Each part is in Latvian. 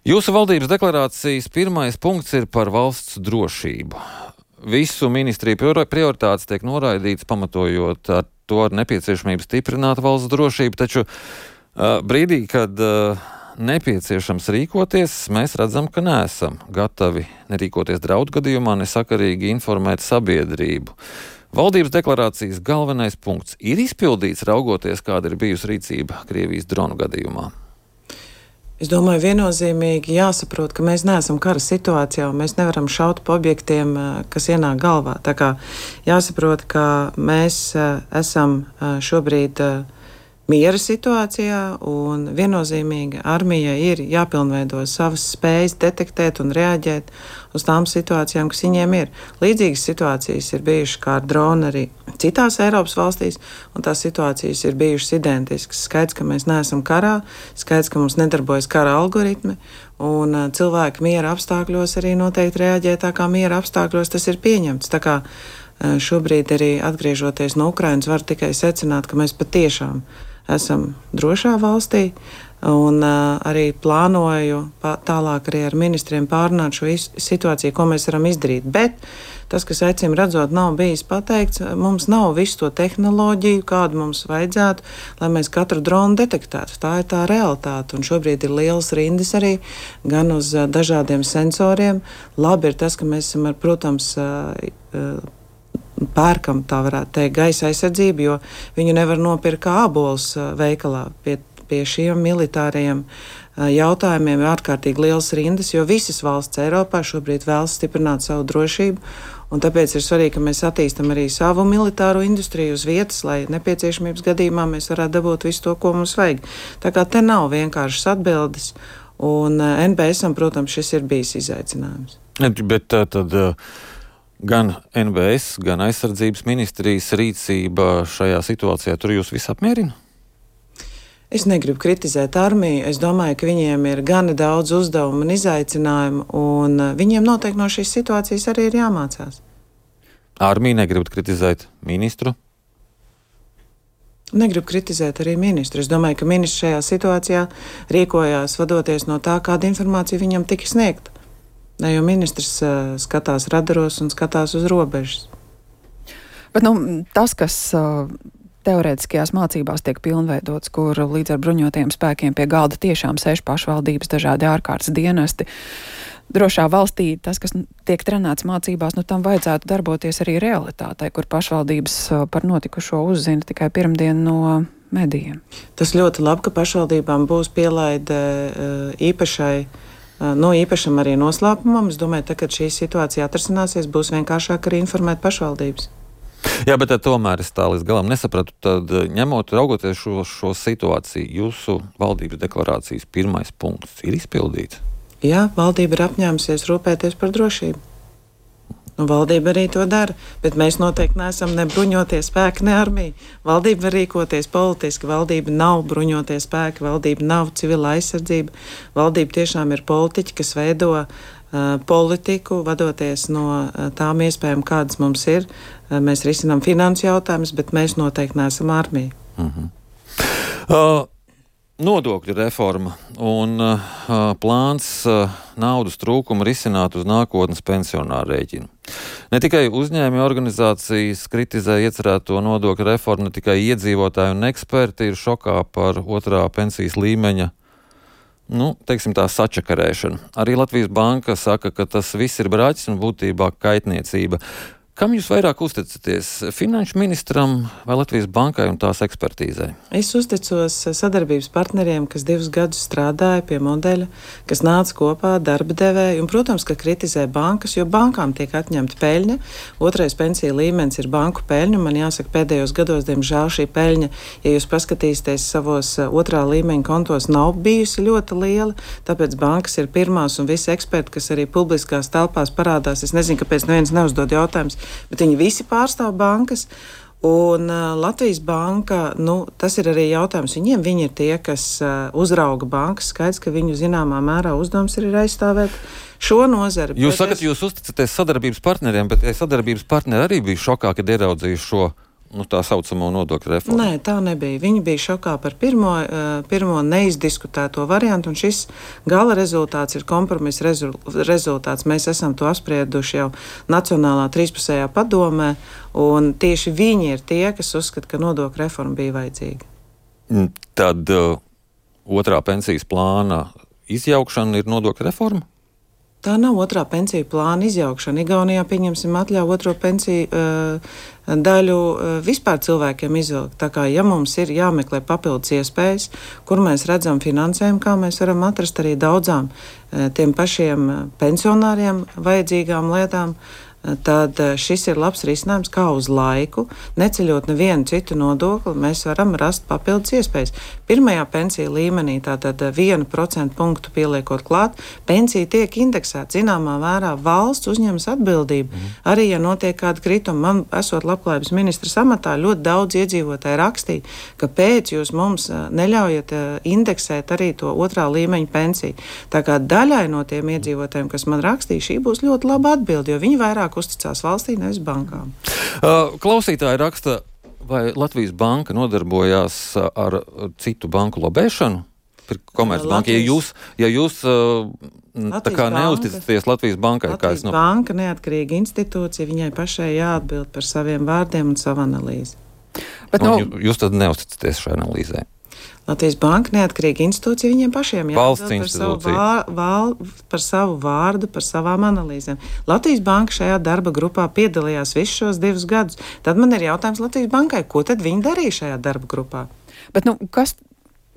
Jūsu valdības deklarācijas pirmais punkts ir par valsts drošību. Visu ministriju prioritātes tiek noraidīts, pamatojot ar to ar nepieciešamību stiprināt valsts drošību, taču brīdī, kad nepieciešams rīkoties, mēs redzam, ka neesam gatavi nerīkoties draudu gadījumā, nesakarīgi informēt sabiedrību. Valdības deklarācijas galvenais punkts ir izpildīts, raugoties, kāda ir bijusi rīcība Krievijas dronu gadījumā. Es domāju, viennozīmīgi jāsaprot, ka mēs neesam kara situācijā un mēs nevaram šaut pa objektiem, kas ienāk galvā. Tā kā jāsaprot, ka mēs esam šobrīd miera situācijā un viennozīmīgi armijai ir jāpilnveido savas spējas detektēt un reaģēt uz tām situācijām, kas viņiem ir. Līdzīgas situācijas ir bijušas kā ar dronu arī citās Eiropas valstīs, un tās situācijas ir bijušas identiskas. Skaidrs, ka mēs neesam karā, skaidrs, ka mums nedarbojas kara algoritmi, un cilvēki miera apstākļos arī noteikti reaģē tā kā miera apstākļos tas ir pieņemts. Tā kā šobrīd arī atgriežoties no Ukrainas var tikai secināt, ka mēs patiešām esam drošā valstī, un arī plānoju tālāk arī ar ministriem pārunāt šo situāciju, ko mēs varam izdarīt. Bet tas, kas acīm redzot nav bijis pateikts, mums nav visu to tehnoloģiju, kādu mums vajadzētu, lai mēs katru dronu detektētu. Tā ir tā realitāte, un šobrīd ir lielas rindas arī gan uz dažādiem sensoriem. Labi ir tas, ka mēs esam, protams, pērkam, tā varētu teikt, gaisa aizsardzību, jo viņu nevar nopirkt kā ābolus veikalā. Pie šiem militārajiem jautājumiem ir ārkārtīgi liels rindas, jo visas valsts Eiropā šobrīd vēlas stiprināt savu drošību, un tāpēc ir svarīgi, ka mēs attīstam arī savu militāro industriju uz vietas, lai nepieciešamības gadījumā mēs varētu dabūt visu to, ko mums vajag. Tā kā te nav vienkāršas atbildes, un NBS-am, protams, šis ir bijis izaicinājums. Bet tad gan NBS, gan aizsardzības ministrijas rīcība šajā situācijā tur jūs visu apmierina? Es negribu kritizēt armiju. Es domāju, ka viņiem ir gana daudz uzdevumu un izaicinājumu, un viņiem noteikti no šīs situācijas arī ir jāmācās. Armija negribat kritizēt ministru? Negribu kritizēt arī ministru. Es domāju, ka ministrs šajā situācijā rīkojās vadoties no tā, kāda informācija viņam tika sniegta. Jo ministrs skatās radaros un skatās uz robežas. Bet tas, kas teorētiskajās mācībās tiek pilnveidots, kur līdz ar bruņotajiem spēkiem pie galda tiešām sēž pašvaldības, dažādi ārkārtas dienesti, drošā valstī tas, kas tiek trenēts mācībās, tam vajadzētu darboties arī realitātei, kur pašvaldības par notikušo uzzina tikai pirmdien no medijiem. Tas ļoti labi, ka pašvaldībām būs pielaide īpašam arī noslēpumam. Es domāju, ka, kad šī situācija atrisināsies, būs vienkāršāk arī informēt pašvaldības. Jā, bet tomēr es tā līdz galam nesapratu. Tad, raugoties šo situāciju, jūsu valdības deklarācijas pirmais punkts ir izpildīts? Jā, valdība ir apņēmusies rūpēties par drošību. Valdība arī to dara, bet mēs noteikti neesam ne bruņotie spēki, ne armija. Valdība var rīkoties politiski, valdība nav bruņotie spēki, valdība nav civila aizsardzība. Valdība tiešām ir politiķi, kas veido politiku, vadoties no tām iespējām, kādas mums ir. Mēs risinām finansu jautājumus, bet mēs noteikti neesam armija. Nodokļu reforma un plāns naudas trūkumu risināt uz nākotnes pensionāru rēķinu. Ne tikai uzņēmēju organizācijas kritizē iecerēto nodokļu reformu, ne tikai iedzīvotāji un eksperti ir šokā par otrā pensijas līmeņa sačakarēšanu. Arī Latvijas Banka saka, ka tas viss ir braķis un būtībā kaitniecība. Kam jūs vairāk uzticaties? Finanšu ministram vai Latvijas Bankai un tās ekspertīzai? Es uzticos sadarbības partneriem, kas 2 gadus strādāja pie modeļa, kas nāca kopā, darba devēja un, protams, ka kritizē bankas, jo bankām tiek atņemta peļņa. Otrais pensiju līmenis ir banku peļņa. Man jāsaka, pēdējos gados, diemžēl, šī peļņa, ja jūs paskatīsieties savos otrā līmeņa kontos, nav bijusi ļoti liela. Tāpēc bankas ir pirmās un visi eksperti, kas arī publiskās telpās parādās. Es nezinu, kāpēc neviens neuzdod jautājums, bet viņi visi pārstāv bankas, un Latvijas Banka, tas ir arī jautājums viņiem. Viņi ir tie, kas uzrauga bankas. Skaidrs, ka viņu zināmā mērā uzdevums ir aizstāvēt šo nozari. Jūs sakat, jūs uzticaties sadarbības partneriem, bet sadarbības partneri arī bija šokā, kad ieraudzīju šo tā saucamo nodokļu reformu? Nē, tā nebija. Viņi bija šokā par pirmo neizdiskutēto variantu, un šis gala rezultāts ir kompromisa rezultāts. Mēs esam to apsprieduši jau Nacionālā trīspusējā padomē, un tieši viņi ir tie, kas uzskata, ka nodokļu reforma bija vajadzīga. Tad otrā pensijas plāna izjaukšana ir nodokļu reforma? Tā nav otrā pensiju plāna izjaukšana. Igaunijā, pieņemsim, atļauj otro pensiju daļu vispār cilvēkiem izvilkt. Tā kā, ja mums ir jāmeklē papildus iespējas, kur mēs redzam finansējumu, kā mēs varam atrast arī daudzām tiem pašiem pensionāriem vajadzīgām lietām, tad šis ir labs risinājums, kā uz laiku, neceļot nevienu citu nodokli, mēs varam rast papildus iespējas. Pirmajā pensiju līmenī, tātad 1% punktu pieliekot klāt, pensija tiek indeksēta. Zināmā mērā valsts uzņemas atbildību. Arī, ja notiek kāda krituma, man, esot labklājības ministra amatā, ļoti daudz iedzīvotāji rakstīja, kāpēc jūs mums neļaujat indeksēt arī to otrā līmeņa pensiju. Tā kā daļai no tiem iedzīvotājiem, kas man rakstīja, šī būs ļoti laba atbilde, jo viņi vairāk uzticās valstī, nevis bankām. Klausītāji raksta, vai Latvijas banka nodarbojās ar citu banku lobēšanu? Komercbanka. Ja jūs tā kā neusticaties Latvijas bankai, Latvijas banka neatkarīga institūcija, viņai pašai jāatbild par saviem vārdiem un savu analīzi. Bet, jūs tad neusticaties šai analīzē? Latvijas banka neatkarīga institūcija, viņiem pašiem jāatbild par savu vārdu, par savām analīzēm. Latvijas banka šajā darba grupā piedalījās visus šos 2 gadus. Tad man ir jautājums Latvijas bankai, ko tad viņi darīja šajā darba grupā? Bet, kas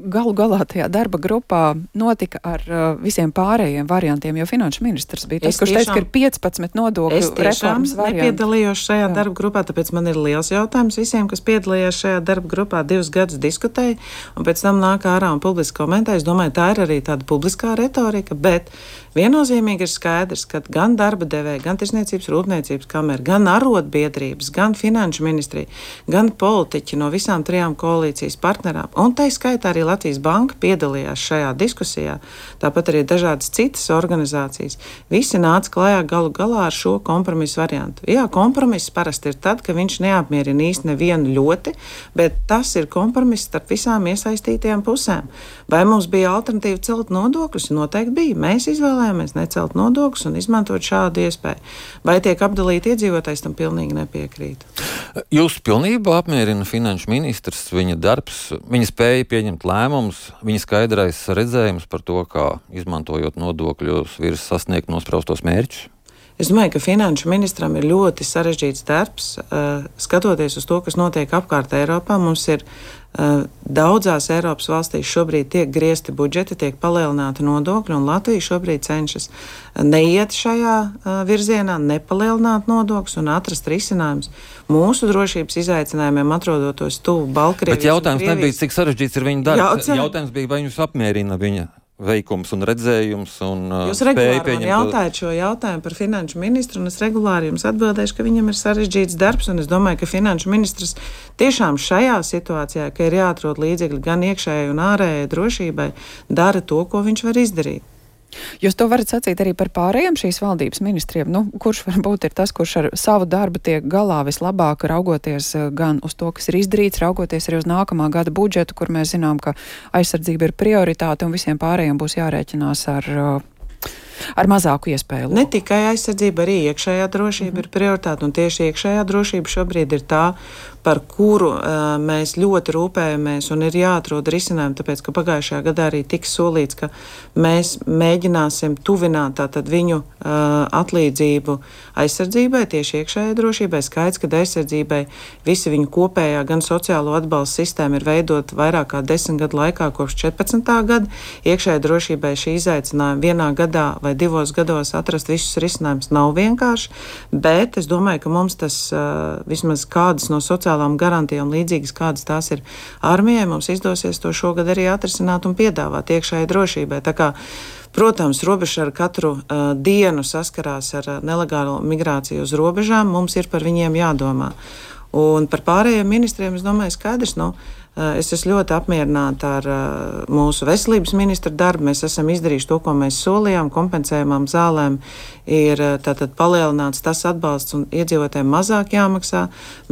galu galā tajā darba grupā notika ar visiem pārējiem variantiem, jo finanšu ministrs bija tas, kurš teica, ka ir 15 nodokļu reformas varianti. Es tiešām nepiedalījos šajā darba grupā, tāpēc man ir liels jautājums visiem, kas piedalījās šajā darba grupā, 2 gadus diskutēja, un pēc tam nāk ārā un publiski komentē. Es domāju, tā ir arī tāda publiskā retorika, bet viennozīmīgi ir skaidrs, ka gan darba devēja, gan Tirsniecības rūpniecības kamera, gan arotbiedrības, gan finanšu ministrija, gan politiķi no visām 3 koalīcijas partnerām, un tai skaitā arī Latvijas banka piedalījās šajā diskusijā, tāpat arī dažādas citas organizācijas. Visi nāca klajā galu galā ar šo kompromisu variantu. Jā, kompromiss parasti ir tad, ka viņš neapmierina īsti nevienu ļoti, bet tas ir kompromiss starp visām iesaistītajām pusēm. Vai mums bija alternatīva celt nodokļus? Noteikti bija. Mēs izvēlējāmies necelt nodokļus un izmantot šādu iespēju. Vai tiek apdalīti iedzīvotājs, tam pilnīgi nepiekrītu. Jūs pilnībā apmierina finanšu ministrs, viņa darbs, viņa spēja pieņemt lēmumus, viņa skaidrais redzējums par to, kā izmantojot nodokļus virs sasniegt nospraustos mērķus? Es domāju, ka finanšu ministram ir ļoti sarežģīts darbs. Skatoties uz to, kas notiek apkārt Eiropā, mums ir daudzās Eiropas valstīs šobrīd tiek griezti budžeti, tiek palielināti nodokļi, un Latvija šobrīd cenšas neiet šajā virzienā, nepalielināt nodokļus un atrast risinājumus mūsu drošības izaicinājumiem, atrodoties tuvu Baltkrievijas. Bet jautājums nebija, cik sarežģīts ir viņa darbs. Jautājums bija, vai jūs apmierina viņa veikums un redzējums un jūs regulāri man jautājat šo jautājumu par finanšu ministru, un es regulāri jums atbildēšu, ka viņam ir sarežģīts darbs, un es domāju, ka finanšu ministrs tiešām šajā situācijā, ka ir jāatrod līdzekļi gan iekšējai un ārējai drošībai, dara to, ko viņš var izdarīt. Jūs to varat sacīt arī par pārējiem šīs valdības ministriem? Kurš varbūt ir tas, kurš ar savu darbu tiek galā vislabāk, raugoties gan uz to, kas ir izdarīts, raugoties arī uz nākamā gada budžetu, kur mēs zinām, ka aizsardzība ir prioritāte un visiem pārējiem būs jārēķinās ar mazāku iespēju. Ne tikai aizsardzība, arī iekšējā drošība ir prioritāte, un tieši iekšējā drošība šobrīd ir tā, par kuru mēs ļoti rūpējamies, un ir jāatrod risinājumi, tāpēc, ka pagājušajā gadā arī tika solīts, ka mēs mēģināsim tuvināt tātad viņu atlīdzību aizsardzībai, tieši iekšējai drošībai. Skaidrs, ka aizsardzībai visi viņu kopējā gan sociālo atbalstu sistēma ir veidot vairāk kā 10 gadu laikā kopš 14. gada. Iekšējai drošībai šī izaicinājuma vienā gadā vai 2 gados atrast visus risinājumus nav vienkārši, bet es domāju, ka mums tas vismaz kādas no sociālām garantijām līdzīgas, kādas tās ir armijai, mums izdosies to šogad arī atrisināt un piedāvāt iekšējai drošībai. Tā kā, protams, robeža ar katru dienu saskarās ar nelegālo migrāciju uz robežām, mums ir par viņiem jādomā. Un par pārējiem ministriem, es domāju, skaidrs, Es esmu ļoti apmierināta ar mūsu veselības ministra darbu. Mēs esam izdarījuši to, ko mēs solījām. Kompensējumām zālēm ir tātad palielināts tas atbalsts un iedzīvotājiem mazāk jāmaksā.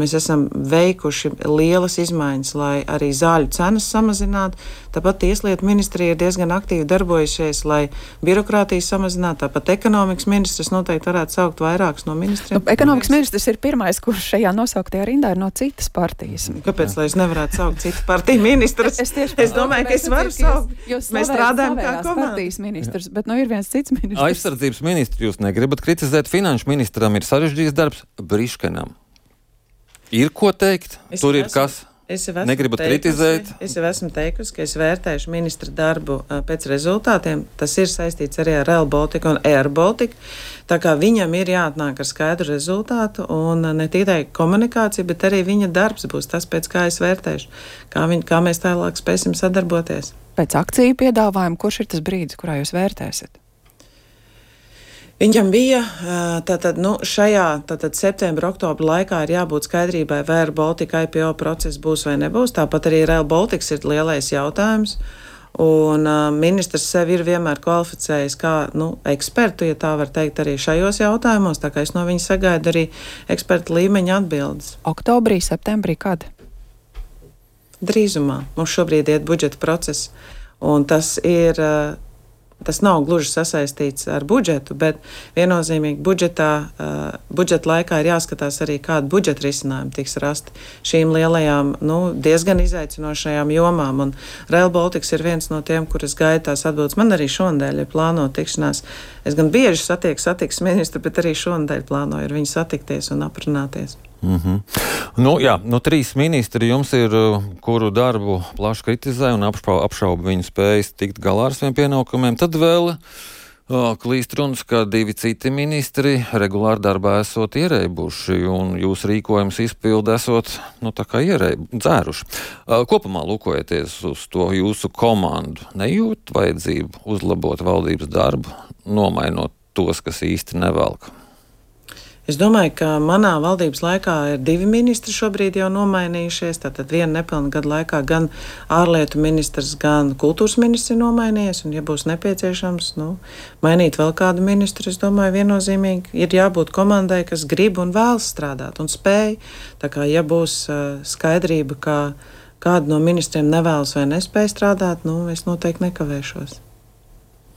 Mēs esam veikuši lielas izmaiņas, lai arī zāļu cenas samazinātu. Tāpat Tieslietu ministrija ir diezgan aktīvi darbojušies, lai birokrātiju samazinātu. Tāpat ekonomikas ministrs noteikti varētu saukt vairākus no ministriem. Ekonomikas ministrs ir pirmais, kurš šajā nosauktajā rindā ir no citas partijas. Kāpēc, lai es nevarētu saukt citu partiju ministrus? Es domāju, ka es varu saukt. Mēs strādājam kā komanda. Ministrs, bet ir viens cits ministrs. Aizsardzības ministru jūs negribat kritizēt. Finanšu ministram ir sarežģījis darbs. Briškenam ir ko teikt? Tur ir kas? Negribat kritizēt? Es jau esmu teikusi, ka es vērtēšu ministra darbu pēc rezultātiem. Tas ir saistīts arī ar Rail Baltica un Air Baltica. Tā kā viņam ir jāatnāk ar skaidru rezultātu un ne tikai komunikācija, bet arī viņa darbs būs tas, pēc kā es vērtēšu. Kā mēs tālāk spēsim sadarboties. Pēc akciju piedāvājuma, kurš ir tas brīdis, kurā jūs vērtēsiet? Viņam bija šajā septembra, oktobra laikā ir jābūt skaidrībai, vai Air Baltica IPO process būs vai nebūs. Tāpat arī Rail Baltica ir lielais jautājums. Un ministrs sevi ir vienmēr kvalificējis kā ekspertu, ja tā var teikt, arī šajos jautājumos. Tā kā es no viņa sagaidu arī eksperta līmeņa atbildes. Oktobrī, septembrī, kad? Drīzumā. Mums šobrīd iet budžeta process. Un tas nav gluži sasaistīts ar budžetu, bet viennozīmīgi budžeta laikā ir jāskatās arī, kāda budžeta risinājuma tiks rasti šīm lielajām, diezgan izaicinošajām jomām. Un Rail Baltica ir viens no tiem, kuras gaida tās atbildes. Man arī šonadēļ ir plānota tikšanās. Es gan bieži satiksmes ministru, bet arī šonadēļ plānoju ar viņu satikties un aprunāties. Trīs ministri jums ir, kuru darbu plaši kritizē un apšauba viņu spējas tikt galā ar saviem pienākumiem. Tad vēl klīst runas, ka divi citi ministri regulāri darbā esot ierēbuši un jūs rīkojums izpildi esot, dzēruši. Kopumā lūkojoties uz to jūsu komandu, nejūt vajadzību uzlabot valdības darbu, nomainot tos, kas īsti nevelk? Es domāju, ka manā valdības laikā ir divi ministri šobrīd jau nomainījušies. Tātad viena nepilna gada laikā gan ārlietu ministrs, gan kultūras ministrs ir nomainījies. Un, ja būs nepieciešams mainīt vēl kādu ministru, es domāju, viennozīmīgi ir jābūt komandai, kas grib un vēlas strādāt un spēj. Tā kā, ja būs skaidrība, ka kādu no ministriem nevēlas vai nespēj strādāt, es noteikti nekavēšos.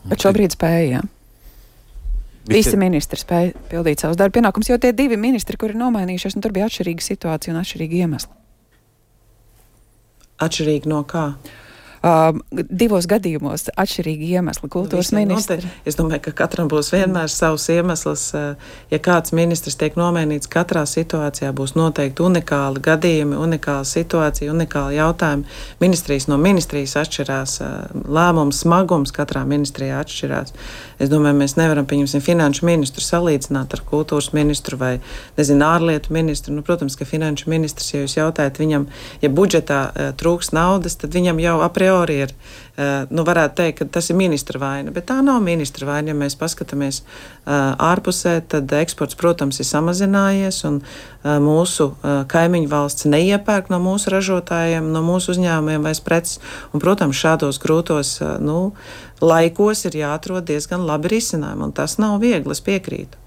Bet šobrīd spēja, jā? Visi ministri spēja pildīt savus darba pienākumus, jo tie divi ministri, kuri ir nomainījušies, tur bija atšķirīga situācija un atšķirīgi iemesli. Atšķirīgi no kā? Divos gadījumos atšķirīgi iemesli. Kultūras ministri. Es domāju, ka katram būs vienmēr savs iemesls. Ja kāds ministrs tiek nomainīts, katrā situācijā būs noteikti unikāli gadījumi, unikāla situācija, unikāli jautājumi. Ministrijas no ministrijas atšķirās, lēmums smagums katrā ministrijā atšķirās. Es domāju, mēs nevaram, pieņemsim, finanšu ministru salīdzināt ar kultūras ministru vai, ārlietu ministru. Protams, ka finanšu ministrs, ja jūs jautājat viņam, ja budžetā trūks naudas, tad viņam jau a priori ir, varētu teikt, ka tas ir ministra vaina, bet tā nav ministra vaina. Ja mēs paskatāmies ārpusē, tad eksports, protams, ir samazinājies un mūsu kaimiņu valsts neiepērk no mūsu ražotājiem, no mūsu uzņēmumiem vairs preces. Un, protams, šādos grūtos laikos ir jāatrod diezgan labi risinājumi, un tas nav viegli, es piekrītu.